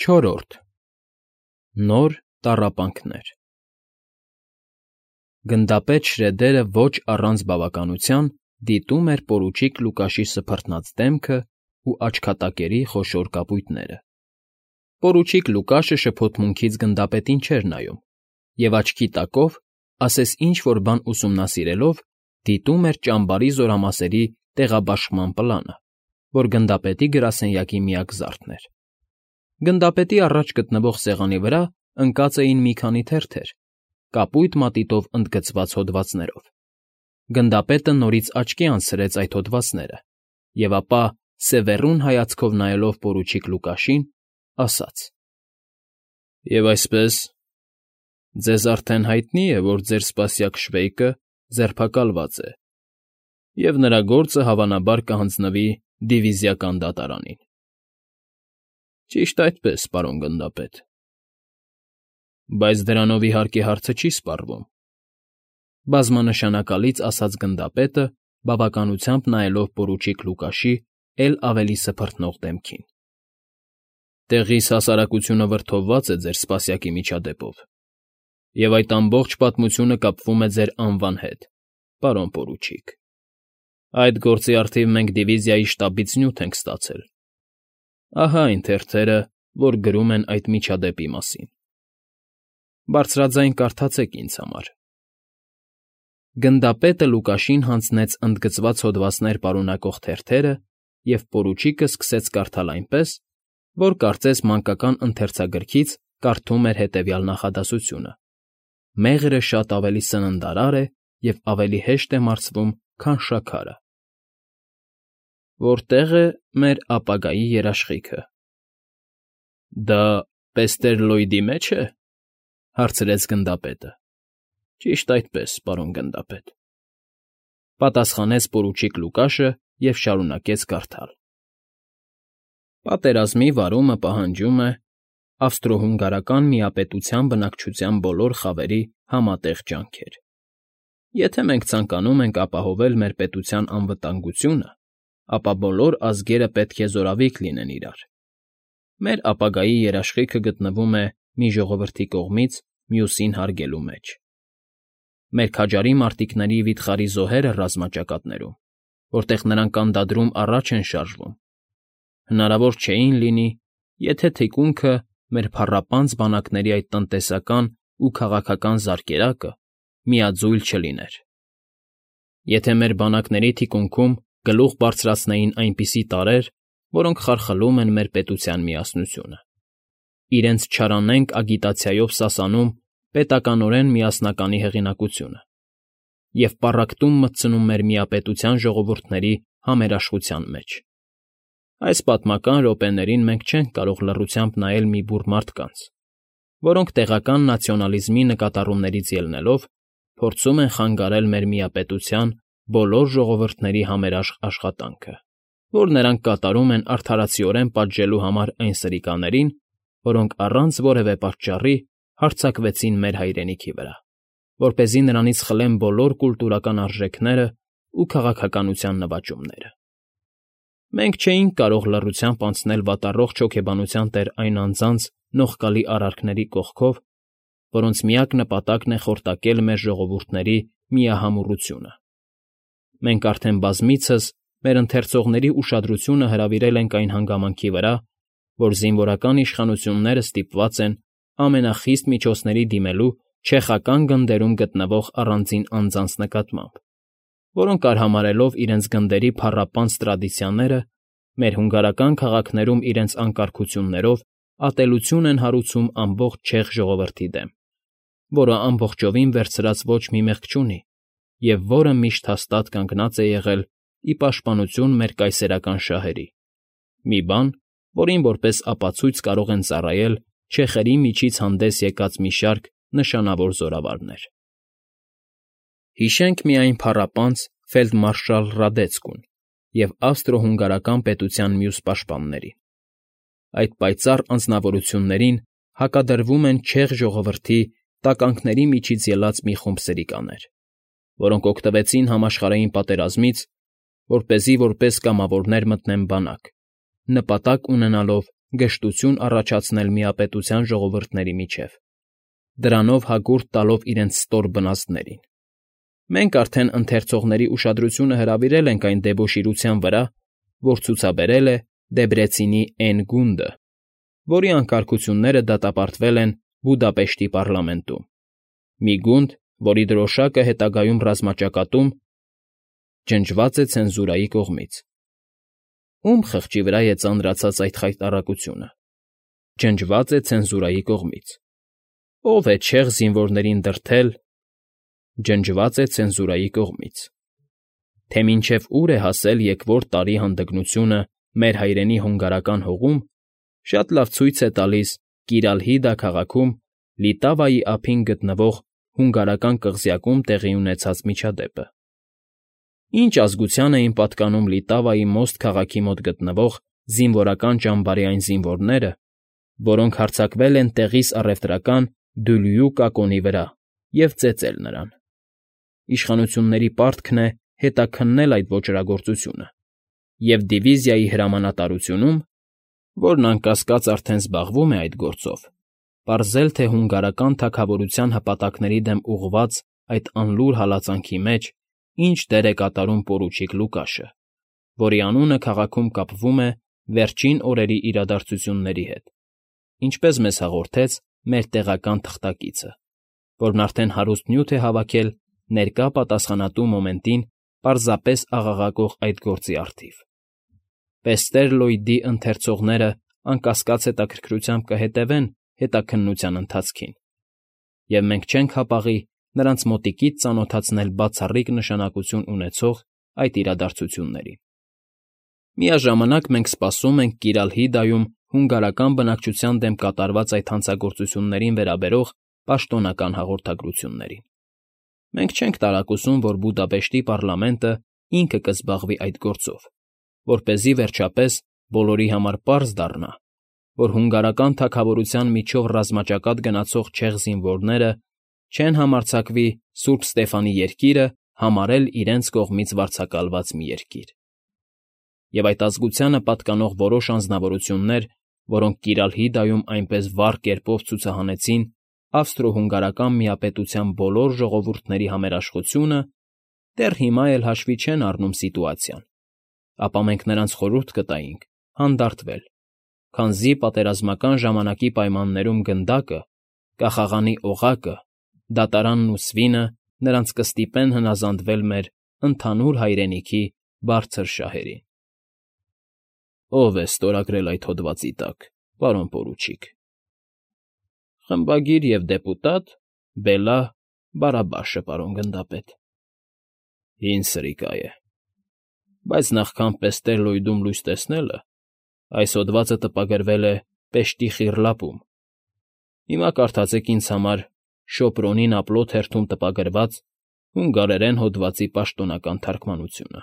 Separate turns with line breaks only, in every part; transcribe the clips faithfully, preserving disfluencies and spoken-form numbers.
Չորրորդ Նոր տառապանքներ Գնդապետ Շրեդերը ոչ առանց բավականության դիտում էր պորուչիկ Լուկաշի սփռտնած դեմքն ու աչքատակերի խոշոր կապույտները. պորուչիկ Լուկաշը շփոթմունքից գնդապետին չէր նայում և աչքի տակով, ասես ինչ֊որ բան ուսումնասիրելով, դիտում էր ճամբարի զորամասերի տեղաբաշխման պլանը, որ գնդապետի գրասենյակի միակ զարդն էր. Գնդապետի առաջ գտնվող սեղանի վրա ընկած էին մի քանի թերթեր, կապույտ մատիտով ընդգծված հոդվածներով. գնդապետը նորից աչքի անցրեց այդ հոդվածները և ապա, սևեռուն հայացքով նայելով պորուչիկ Լուկաշին, ասաց. «Եվ այսպես, ձեզ արդեն հայտնի է, որ ձեր սպասյակ Շվեյկը ձերբակալված է, և նրա գործը հավանաբար կհանձնվի դիվիզիական դատարանին»։ ֊ Ճիշտ այդպես, պարոն գնդապետ։ ֊ Բայց դրանով, իհարկե, հարցը չի սպառվում,֊ բազմանշանակալից ասաց գնդապետը, բավականությամբ նայելով պորուչիկ Լուկաշի էլ ավելի սփռտնող դեմքին։ «Տեղիս հասարակությունը վրդովված է ձեր սպասյակի միջադեպով, և այդ ամբողջ պատմությունը կապվում է ձեր անվան հետ, պարոն պորուչիկ։ Այդ գործի առթիվ մենք դիվիզիայի շտաբից նյութ ենք ստացել. ահա այն թերթերը, որ գրում են այդ միջադեպի մասին. բարձրաձայն կարդացեք ինձ համար»։ Գնդապետը Լուկաշին հանձնեց ընդգծված հոդվածներ պարունակող թերթերը, և պորուչիկը սկսեց կարդալ այնպես, որ կարծես մանկական ընթերցագրքից կարդում էր հետևյալ նախադասությունը. «Մեղրը շատ ավելի սննդարար է և ավելի հեշտ է մարսվում, քան շաքարը»։ «Որտե՞ղ է մեր ապագայի երաշխիքը»։ ֊ Դա Պեստերլոյդի մեջ է,֊ հարցրեց գնդապետը։ ֊ Ճիշտ այդպես, պարոն գնդապետ,֊ պատասխանեց պորուչիկ Լուկաշը և շարունակեց կարդալ. «Պատերազմի վարումը պահանջում է ավստրո֊հունգարական միապետության բնակչության բոլոր խավերի համատեղ ջանքեր։ Եթե մենք ցանկանում ենք ապահովել մեր պետության անվտանգությունը, ապա բոլոր ազգերը պետք է զորավիք լինեն իրար։ Մեր ապագայի երաշխիքը գտնվում է մի ժողովրդի կողմից մյուսին հարգելու մեջ։ Մեր քաջարի մարտիկների վիթխարի զոհերը ռազմաճակատներում, որտեղ նրանք անդադրում առաջ են շարժվում, հնարավոր չէին լինի, եթե թիկունքը մեր փառապանծ բանակների այդ տնտեսական ու քաղաքական զարկերակը միաձույլ չլիներ։ Եթե մեր բանակների թիկունքում գլուխ բարձրացնեին այնպիսի տարրեր, որոնք խարխլում են մեր պետության միասնությունը, իրենց չարանենգ ագիտացիայով սասանում պետականորեն միասնականի հեղինակությունը և պառակտում մտցնում մեր միապետության ժողովուրդների համերաշխության մեջ, այս պատմական րոպեներին մենք չենք կարող լռությամբ նայել մի բուռ մարդկանց, որոնք տեղական նացիոնալիզմի նկատառումներից ելնելով փորձում են խանգարել մեր միապետության բոլոր ժողովուրդների համերաշխ աշխատանքը, որ նրանք կատարում են արդարացիորեն պատժելու համար այն սրիկաներին, որոնք առանց որևէ պատճառի հարձակվեցին մեր հայրենիքի վրա, որպեսզի նրանից խլեն բոլոր կուլտուրական արժեքներն ու քաղաքականության նվաճումները։ Մենք չէինք կարող լռությամբ անցնել վատառողջ հոգեբանության տեր այն անձանց նողկալի արարքների կողքով, որոնց միակ նպատակն է խորտակել մեր ժողովուրդների միահամուռությունը։ Մենք արդեն բազմիցս մեր ընթերցողների ուշադրությունը հրավիրել ենք այն հանգամանքի վրա, որ զինվորական իշխանությունները ստիպված են ամենախիստ միջոցների դիմելու չեխական գնդերում գտնվող առանձին անձանց նկատմամբ, որոնք արհամարհելով իրենց գնդերի փառապանծ տրադիցիաները, մեր հունգարական քաղաքներում իրենց անկարգություններով ատելություն են հարուցում ամբողջ չեխ ժողովրդի դեմ, որը ամբողջովին վերցրած ոչ մի մեղք չունի և որը միշտ հաստատ կանգնած է եղել ի պաշտպանություն մեր կայսերական շահերի, մի բան, որին որպես ապացույց կարող են ծառայել չեխերի միջից հանդես եկած մի շարք նշանավոր զորավարներ։ Հիշենք միայն փառապանծ ֆելդմարշալ Ռադեցկուն և ավստրո֊հունգարական պետության մյուս պաշտպաններին։ Այդ պայծառ անձնավորություններին հակադրվում են չեխ ժողովրդի տականքների միջից ելած մի խումբ սրիկաներ, որոնք օգտվեցին համաշխարհային պատերազմից, որպեսզի որպես կամավորներ մտնեն բանակ, նպատակ ունենալով գժտություն առաջացնել միապետության ժողովուրդների միջև, դրանով հակուրդ տալով իրենց ստոր բնազդներին։ Մենք արդեն ընթերցողների ուշադրությունը հրավիրել ենք այն դեբոշիրության վրա, որ ցուցաբերել է Դեբրեցինի Էն գունդը, որի անկարգությունները դատապարտվել են Բուդապեշտի պառլամենտում։ Մի գունդ, որի դրոշակը հետագայում ռազմաճակատում ջնջված է ցենզուրայի կողմից։ Ում խղճի վրա է ծանրացած այդ խայտառակությունը։ Ջնջված է ցենզուրայի կողմից։ Ո՞վ է չեղ զինվորներին դրդել։ Ջնջված է ցենզուրայի կողմից։ Թե մինչև ուր է հասել եկվոր տարի հանդգնությունը մեր հայրենի հունգարական հողում, շատ լավ ցույց է տալիս Կիրալհիդա քաղաքում Լիտավայի ափին գտնվող հունգարական կղզյակում տեղի ունեցած միջադեպը։ Ինչ ազգության էին պատկանում Լիտավայի Մոստ քաղաքի մոտ գտնվող զինվորական ճամբարի այն զինվորները, որոնք հարձակվել են տեղիս առևտրական Դյուլյու կակոնի վրա և ծեծել նրան։ Իշխանությունների պարտքն է հետաքննել այդ ոճրագործությունը, և դիվիզիայի հրամանատարությունում, որն անկասկած արդեն զբաղվում է այդ գործով, պարզել, թե հունգարական թագավորության հպատակների դեմ ուղղված այդ անլուր հալածանքի մեջ ինչ դեր է կատարում պորուչիկ Լուկաշը, որի անունը քաղաքում կապվում է վերջին օրերի իրադարձությունների հետ, ինչպես մեզ հաղորդեց մեր տեղական թղթակիցը, որն արդեն հարուստ նյութ է հավաքել ներկա պատասխանատու մոմենտին պարզապես աղաղակող այդ գործի առթիվ։ Պեստեր Լոյդի ընթերցողները անկասկած հետաքրքրությամբ կհետևեն հետաքննության ընթացքին, և մենք չենք հապաղի նրանց մոտիկից ծանոթացնել բացառիկ նշանակություն ունեցող այդ իրադարձություններին։ Միաժամանակ մենք սպասում ենք Կիրալհիդայում հունգարական բնակչության դեմ կատարված այդ հանցագործություններին վերաբերող պաշտոնական հաղորդագրություններին։ Մենք չենք տարակուսում, որ Բուդապեշտի պառլամենտը ինքը կզբաղվի այդ գործով, որպեսզի վերջապես բոլորի համար պարզ դառնա, որ հունգարական թագավորության միջով ռազմաճակատ գնացող չեղ զինվորները չեն համարձակվի Սուրբ Ստեֆանի Երկիրը համարել իրենց կողմից վարձակալված մի երկիր։ Եվ այդ ազգությանը պատկանող որոշ անձնավորություններ, որոնք Կիրալհիդայում այնպես վառ կերպով ցուցահանեցին ավստրո֊հունգարական միապետության բոլոր ժողովուրդների համերաշխությունը, դեռ հիմա էլ հաշվի չեն առնում սիտուացիան, ապա մենք նրանց խորհուրդ կտայինք հանդարտվել, քանզի պատերազմական ժամանակի պայմաններում գնդակը, կախաղանի օղակը, դատարանն ու սվինը նրանց կստիպեն հնազանդվել մեր ընդհանուր հայրենիքի բարձր շահերին։ Ո՞վ է ստորագրել այդ հոդվածի տակ, պարոն պորուչիկ։ Խմբագիր և դեպուտատ Բելա Բարաբաշը, պարոն գնդապետ։ Հին սրիկա է։ Բայց նախքան Պեստեր Լոյդում լույս տեսնելը, այս հոդվածը տպագրվել է Պեշտի Խիռլապում։ Հիմա կարդացեք ինձ համար Շոպրոնին Ափլոթ հերթում տպագրված հունգարերեն հոդվածի պաշտոնական թարգմանությունը։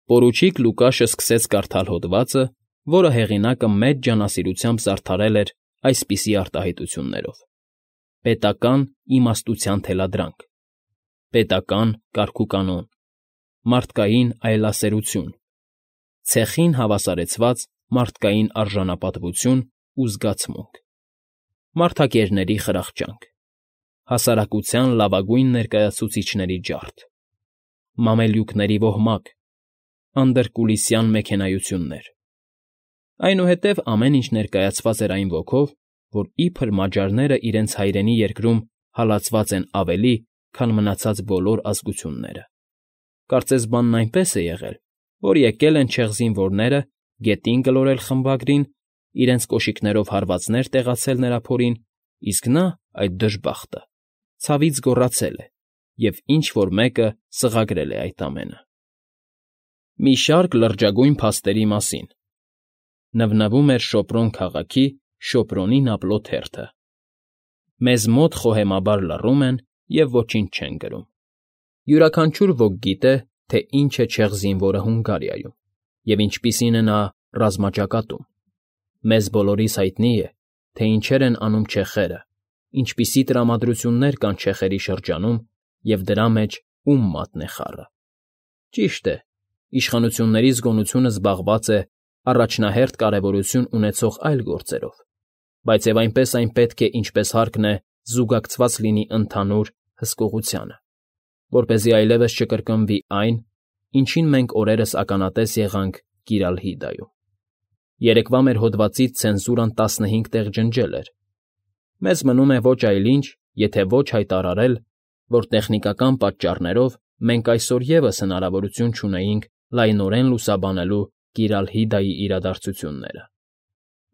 Պորուչիկ Լուկաշը սկսեց կարդալ հոդվածը, որը հեղինակը մեծ ջանասիրությամբ զարդարել էր այսպիսի արտահայտություններով. պետական իմաստության թելադրանք, պետական կարգուկանոն, մարդկային այլասերություն, ցեխին հավասարեցված մարդկային արժանապատվություն ու զգացմունք, մարդակերների խրախճանք, հասարակության լավագույն ներկայացուցիչների ջարդ, մամելյուքների ոհմակ, անդրկուլիսյան մեքենայություններ։ Այնուհետև ամեն ինչ ներկայացված էր այն ոգով, որ իբր մաջարները իրենց հայրենի երկրում հալածված են ավելի, քան մնացած բոլոր ազգությունները։ Կարծես բանն այնպես է եղել, որ եկել են չեղ զինվորները գետին գլորել խմբագրին, իրենց կոշիկներով հարվածներ տեղացել նրա փորին, իսկ նա, այդ դժբախտը, ցավից գոռացել է և ինչ֊որ մեկը սղագրել է այդ ամենը։ Մի շարք լրջագույն փաստերի մասին նվնվում էր Շոպրոն քաղաքի Շոպրոնին Ափլոթ հերթը։ Մեզ մոտ խոհեմաբար լռում են և ոչինչ չեն գրում։ Յուրաքանչյուր ոք գիտե, թե ինչ է չեղ զինվորը Հունգարիայում և ինչպիսին է նա ռազմաճակատում։ Մեզ բոլորիս հայտնի է, թե ինչեր են անում չեխերը, ինչպիսի տրամադրություններ կան չեխերի շրջանում և դրա մեջ ում մատն է խառը։ Ճիշտ է, իշխանությունների զգոնությունը զբաղված է առաջնահերթ կարևորություն ունեցող այլ գործերով, բայց և այնպես այն պետք է, ինչպես հարկն է, զուգակցված լինի ընդհանուր հսկողությանը, որպեսզի այլևս չկրկնվի այն, ինչին մենք օրերս ականատես եղանք Կիրալհիդայում։ Երեկվա մեր հոդվածից ցենզուրան տասնհինգ տեղ ջնջել էր։ Մեզ մնում է ոչ այլ ինչ, եթե ոչ հայտարարել, որ տեխնիկական պատճառներով մենք այսօր ևս հնարավորություն չունեինք լայնորեն լուսաբանելու Կիրալհիդայի իրադարձությունները։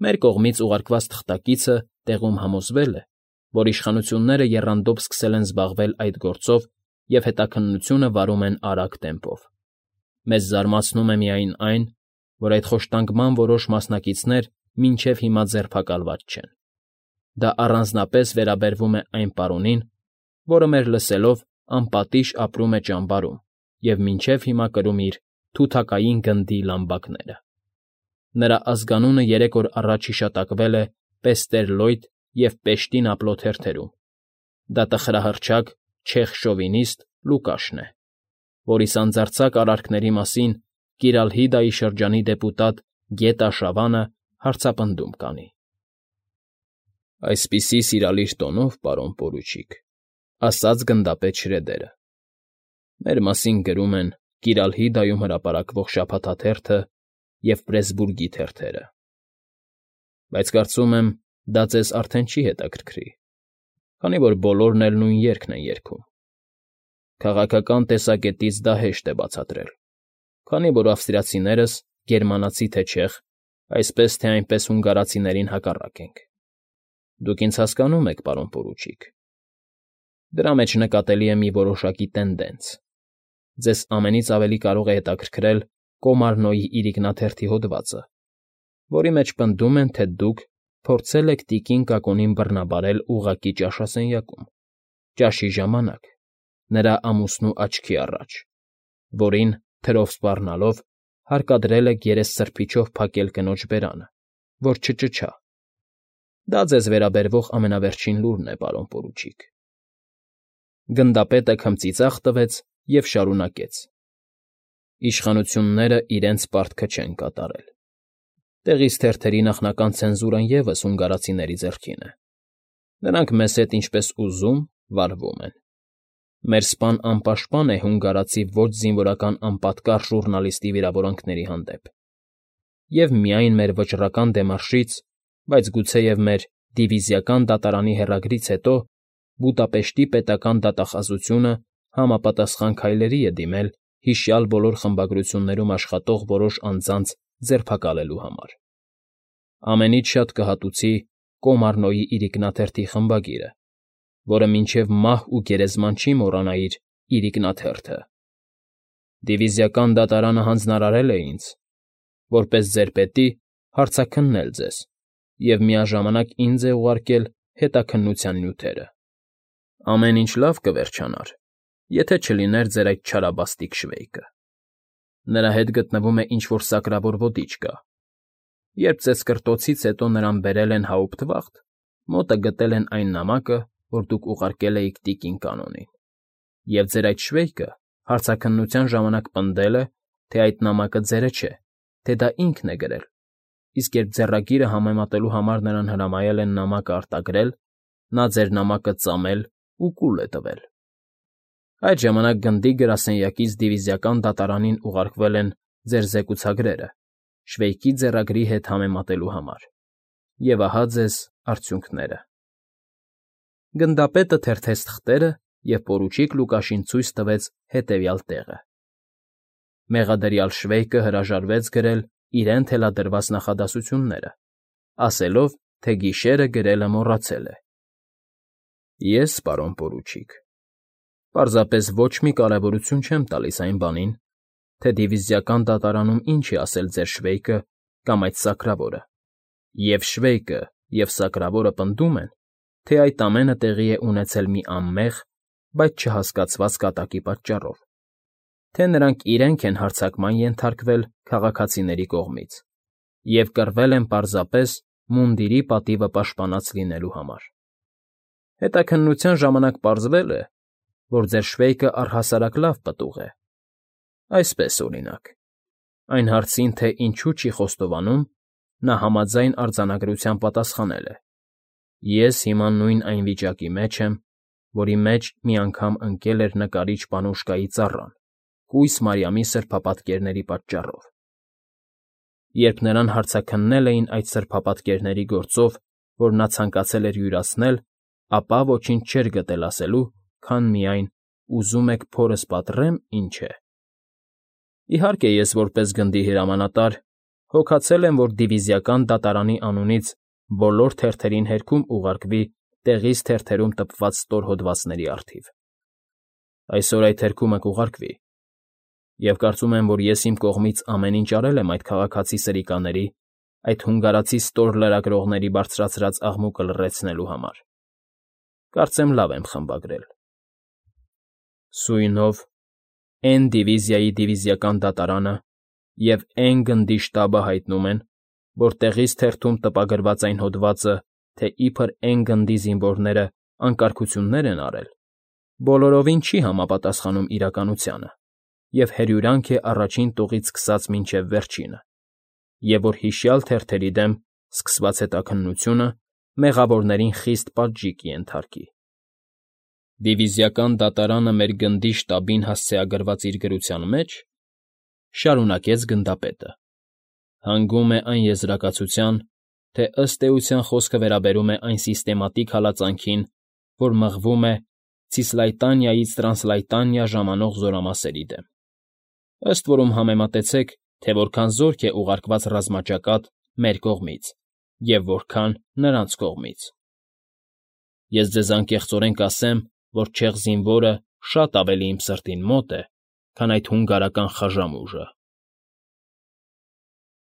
Մեր կողմից ուղարկված թղթակիցը տեղում համոզվել է, որ իշխանությունները եռանդով սկսել են զբաղվել այդ գործով և հետաքննությունը վարում են արագ տեմպով։ Մեզ զարմացնում է միայն այն, որ այդ խոշտանգման որոշ մասնակիցներ մինչև հիմա ձերբակալված չեն։ Դա առանձնապես վերաբերվում է այն պարոնին, որը մեր լսելով անպատիժ ապրում է ճամբարում և մինչև հիմա կրում իր թութակային գնդի լամբակները։ Նրա ազգանունը երեք օր առաջ հիշատակվել է Պեստերլոյդ և Պեշտին ափլոտ հերթերում։ Դա տխրահռչակ չեխ շովինիստ Լուկաշն է, որի սանձարձակ արարքների մասին Կիրալհիդայի շրջանի դեպուտատ Գետա Շավանը հարցապնդում կանի։ Այսպիսի սիրալիր տոնով, պարոն պորուչիկ, ասաց գնդապետ Շրեդերը, մեր մասին գրում են Կիրալհիդայում հրապարակվող շաբաթաթերթը և Պրեսբուրգի թերթերը։ Բայց կարծում եմ, դա ձեզ արդեն չի հետաքրքրի, քանի որ բոլորն էլ նույն երգն են երգում։ Քաղաքական տեսակետից դա հեշտ է բացատրել, քանի որ ավստրիացիներս, գերմանացի թե չեխ, այսպես թե այնպես հունգարացիներին հակառակ ենք։ Դուք ինձ հասկանում եք, պարոն պորուչիկ։ Դրա մեջ նկատելի է մի որոշակի տենդենց։ Ձեզ ամենից ավելի կարող է հետաքրքրել Կոմարնոյի իրիկնաթերթի հոդվածը, որի մեջ պնդում են, թե դուք փորձել եք տիկին Կակոնին բռնաբարել ուղղակի ճաշասենյակում, ճաշի ժամանակ, նրա ամուսնու աչքի առաջ, որին, թրով սպառնալով, հարկադրել եք երեսսրբիչով փակել կնոջ բերանը, որ չճչա։ Դա ձեզ վերաբերվող ամենավերջին լուրն է, պարոն պորուչիկ։ Գնդապետը քմծիծաղ տվեց և շարունակեց. Իշխանությունները իրենց պարտքը չեն կատարել։ Տեղից թերթերի նախնական ցենզուրան ևս հունգարացիների ձեռքին է։ Նրանք մեզ հետ ինչպես ուզում վարվում են։ Մեր սպան անպաշտպան է հունգարացի ոչ զինվորական անպատկառ ժուռնալիստի վիրավորանքների հանդեպ։ Եվ միայն մեր վճռական դեմարշից, բայց գուցեև մեր դիվիզիական դատարանի հեռագրից հետո Բուդապեշտի պետական դատախազությունը համապատասխան քայլերի է դիմել հիշյալ բոլոր խմբագրություններում աշխատող որոշ անձանց ձերբակալելու համար։ Ամենից շատ կհատուցի Կոմարնոյի իրիկնաթերթի խմբագիրը, որը մինչև մահ ու գերեզման չի մոռանա իր իրիկնաթերթը։ Դիվիզիական դատարանը հանձնարարել է ինձ, որպես ձեր պետի, հարցաքննել ձեզ և միաժամանակ ինձ է ուղարկել հետաքննության նյութերը։ Ամեն ինչ լավ կվերջանար, եթե չլիներ ձեր այդ չարաբաստիկ Շվեյկը։ Նրա հետ գտնվում է ինչ֊որ սակրավոր ոդիչկա։ Երբ ձեզ կրտոցից հետո նրան բերել են Հաուպտվախտ, մոտը գտել են այն նամակը, որ դուք ուղարկել էիք տիկին Կանոնին։ Եվ ձեր այդ Շվեյկը հարցաքննության ժամանակ պնդել է, թե այդ նամակը ձերը չէ, թե դա ինքն է գրել, իսկ երբ ձեռագիրը համեմատելու համար նրան հրամայել են նամակը արտագրել, նա ձեր նամակը ծամել ու կուլ է տվել։ Այդ ժամանակ գնդի գրասենյակից դիվիզիական դատարանին ուղարկվել են ձեր զեկուցագրերը Շվեյկի ձեռագրի հետ համեմատելու համար։ Եվ ահա ձեզ արդյունքները։ Գնդապետը թերթեց թղթերը և պորուչիկ Լուկաշին ցույց տվեց հետևյալ տեղը։ Մեղադրյալ Շվեյկը հրաժարվեց գրել իրեն թելադրված նախադասությունները, ասելով, թե գիշերը գրելը մոռացել է։ Ես, պարոն պորուչիկ, պարզապես ոչ մի կարևորություն չեմ տալիս այն բանին, թե դիվիզիական դատարանում ինչ է ասել ձեր Շվեյկը կամ այդ սակրավորը, և Շվեյկը և սակրավորը պնդում են, թե այդ ամենը տեղի է ունեցել մի անմեղ, բայց չհասկացված կատակի պատճառով, թե նրանք իրենք են հարձակման ենթարկվել քաղաքացիների կողմից և կռվել են պարզապես մունդիրի պատիվը պաշտպանած լինելու համար։ Հետաքննության ժամանակ պարզվել է, որ ձեր Շվեյկը առհասարակ լավ պտուղ է։ Այսպես, օրինակ, Այն հարցին, թե ինչու չի խոստովանում, նա համաձայն արձանագրությամբ պատասխանել է. «Ես հիմա նույն այն վիճակի մեջ եմ, որի մեջ մի անգամ ընկել էր նկարիչ Պանուշկայի ծառան կույս Մարիամի սրբապատկերների պատճառով։ Երբ նրան հարցաքննել էին այդ սրբապատկերների գործով, որ նա ցանկացել էր յուրացնել, ապա ոչինչ չէր գտել ասելու, քան միայն. «Ուզում եք փորս պատռեմ, ինչ է»։ Իհարկե, ես որպես գնդի հրամանատար հոգացել եմ, որ դիվիզիական դատարանի անունից բոլոր թերթերին հերքում ուղարկվի տեղից թերթերում տպված ստորհոդվածների առթիվ։ Այսօր այդ հերքումը կուղարկվի, և կարծում եմ, որ ես իմ կողմից ամեն ինչ արել եմ այդ քաղաքացի սրիկաների, այդ հունգարացի ստոր լրագրողների բարձրացրած աղմուկը լռեցնելու համար։ Կարծեմ լավ եմ խմբագրել։ Սույնով Էն դիվիզիայի դիվիզիական դատարանը և Էն գնդի շտաբը հայտնում են, որ տեղից թերթում տպագրված այն հոդվածը, թե իբր Էն գնդի զինվորները անկարգություններ են արել, բոլորովին չի համապատասխանում իրականությանը և հրյուրանք է առաջին տուղից սկսած մինչև վերջինը, և որ հիշյալ թերթերի դեմ սկսված հետաքննությունը մեղավորներին խիստ պատժի կենթարկի։ Դիվիզիական դատարանը մեր գնդի շտաբին հասցեագրված իր գրության մեջ, ֊ շարունակեց գնդապետը, ֊ հանգում է այն եզրակացության, թե ըստ էության խոսքը վերաբերում է այն սիստեմատիկ հալածանքին, որ մղվում է Ցիսլայտանիայից Տրանսլայտանիա ժամանող զորամասերի դեմ, ըստ որում համեմատեցեք, թե որքան զորք է ուղարկված ռազմաճակատ մեր կողմից և որքան՝ նրանց կողմից։ Ես ձեզ անկեղծորեն կասեմ, որ չեղ զինվորը շատ ավելի իմ սրտին մոտ է, քան այդ հունգարական խաժամուժը։